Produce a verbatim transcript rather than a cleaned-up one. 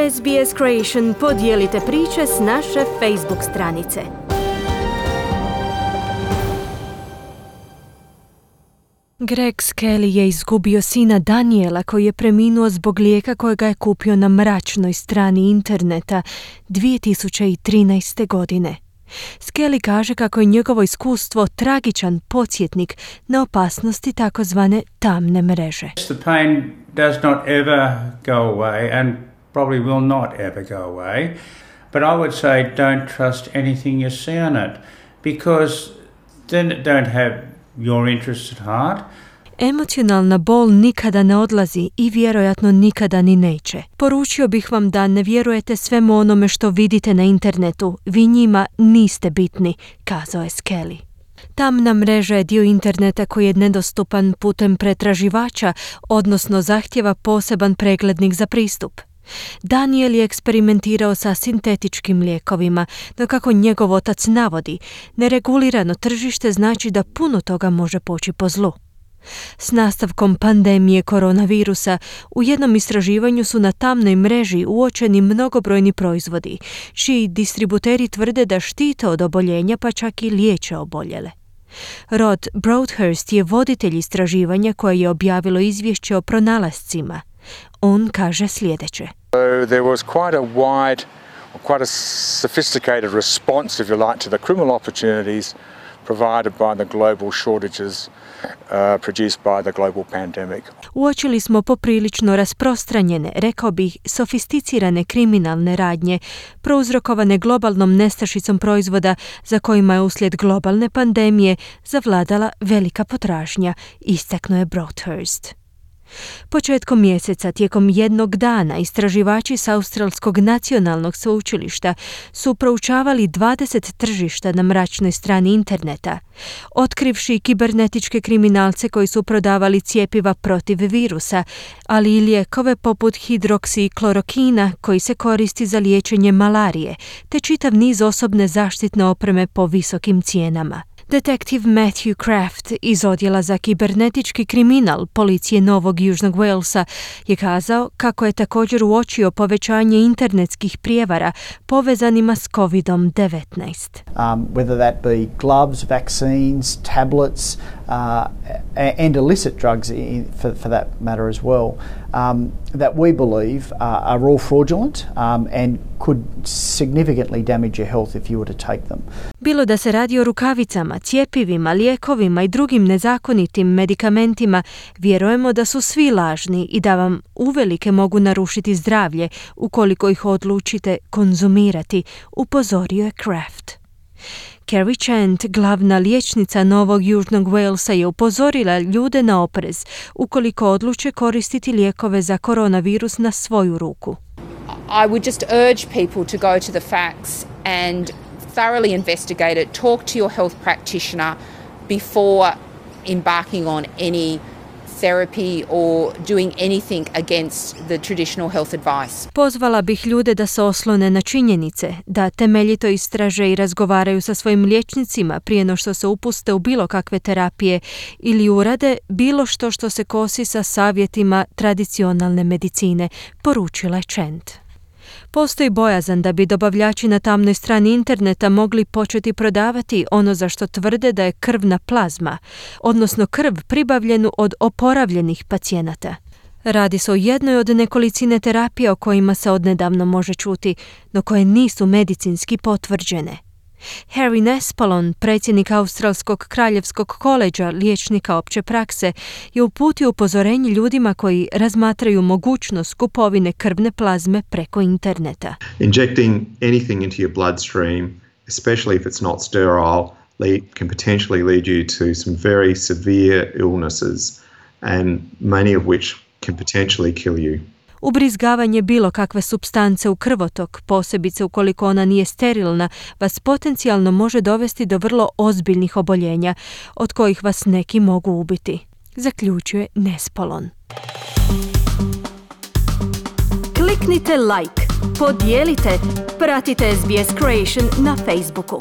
S B S Creation, podijelite priče s naše Facebook stranice. Greg Skelly je izgubio sina Daniela koji je preminuo zbog lijeka kojega je kupio na mračnoj strani interneta dvije tisuće trinaeste. godine. Skelly kaže kako je njegovo iskustvo tragičan podsjetnik na opasnosti takozvane tamne mreže. The pain does not ever go away and probably will not ever go away, but I would say don't trust anything you see on it because then it don't have your interests at heart. Emocionalna bol nikada ne odlazi i vjerojatno nikada ni neće. Poručio bih vam da ne vjerujete svemu onome što vidite na internetu. Vi njima niste bitni, kazao je Skelly. Tamna mreža je dio interneta koji je nedostupan putem pretraživača, odnosno zahtjeva poseban preglednik za pristup. Daniel je eksperimentirao sa sintetičkim lijekovima, no kako njegov otac navodi, neregulirano tržište znači da puno toga može poći po zlu. S nastavkom pandemije koronavirusa u jednom istraživanju su na tamnoj mreži uočeni mnogobrojni proizvodi, čiji distributeri tvrde da štite od oboljenja pa čak i liječe oboljele. Rod Broadhurst je voditelj istraživanja koje je objavilo izvješće o pronalascima. On kaže sljedeće. So there was quite a wide, quite a sophisticated response, if you like, to the criminal opportunities provided by the global shortages uh, produced by the global pandemic. Uočili smo poprilično rasprostranjene, rekao bih, sofisticirane kriminalne radnje, prouzrokovane globalnom nestašicom proizvoda za kojima je uslijed globalne pandemije zavladala velika potražnja, istaknuo je Broadhurst. Početkom mjeseca, tijekom jednog dana, istraživači s Australskog nacionalnog sveučilišta su proučavali dvadeset tržišta na mračnoj strani interneta, otkrivši kibernetičke kriminalce koji su prodavali cjepiva protiv virusa, ali i lijekove poput hidroksiklorokina koji se koristi za liječenje malarije, te čitav niz osobne zaštitne opreme po visokim cijenama. Detektiv Matthew Kraft iz odjela za kibernetički kriminal policije Novog Južnog Walesa je kazao kako je također uočio povećanje internetskih prijevara povezanima s covid devetnaest. Um, whether that be gloves, vaccines, tablets uh, and illicit drugs in, for, for that matter as well, um, that we believe uh, are all fraudulent um, and could significantly damage your health if you were to take them. Bilo da se radi o rukavicama, cjepivima, lijekovima i drugim nezakonitim medikamentima, vjerujemo da su svi lažni i da vam uvelike mogu narušiti zdravlje ukoliko ih odlučite konzumirati, upozorio je Kraft. Carrie Chant, glavna liječnica Novog Južnog Walesa, je upozorila ljude na oprez ukoliko odluče koristiti lijekove za koronavirus na svoju ruku. I would just urge people to go to the facts and thoroughly investigate it, talk to your health practitioner before embarking on any therapy or doing anything against the traditional health advice. Pozvala bih ljude da se oslone na činjenice, da temeljito istraže i razgovaraju sa svojim liječnicima prije no što se upuste u bilo kakve terapije ili urade bilo što što se kosi sa savjetima tradicionalne medicine, poručila je Chant. Postoji bojazan da bi dobavljači na tamnoj strani interneta mogli početi prodavati ono za što tvrde da je krvna plazma, odnosno krv pribavljenu od oporavljenih pacijenata. Radi se o jednoj od nekolicine terapija o kojima se odnedavno može čuti, no koje nisu medicinski potvrđene. Harry Nespolon, predsjednik Australskog kraljevskog koleđa liječnika opće prakse, je uputio upozorenje ljudima koji razmatraju mogućnost kupovine krvne plazme preko interneta. Injecting anything into your bloodstream, especially if it's not sterile, lead, can potentially lead you to some very severe illnesses and many of which can potentially kill you. Ubrizgavanje bilo kakve supstance u krvotok, posebice ukoliko ona nije sterilna, vas potencijalno može dovesti do vrlo ozbiljnih oboljenja, od kojih vas neki mogu ubiti, zaključuje Nespolon. Kliknite like, podijelite, pratite S B S Creation na Facebooku.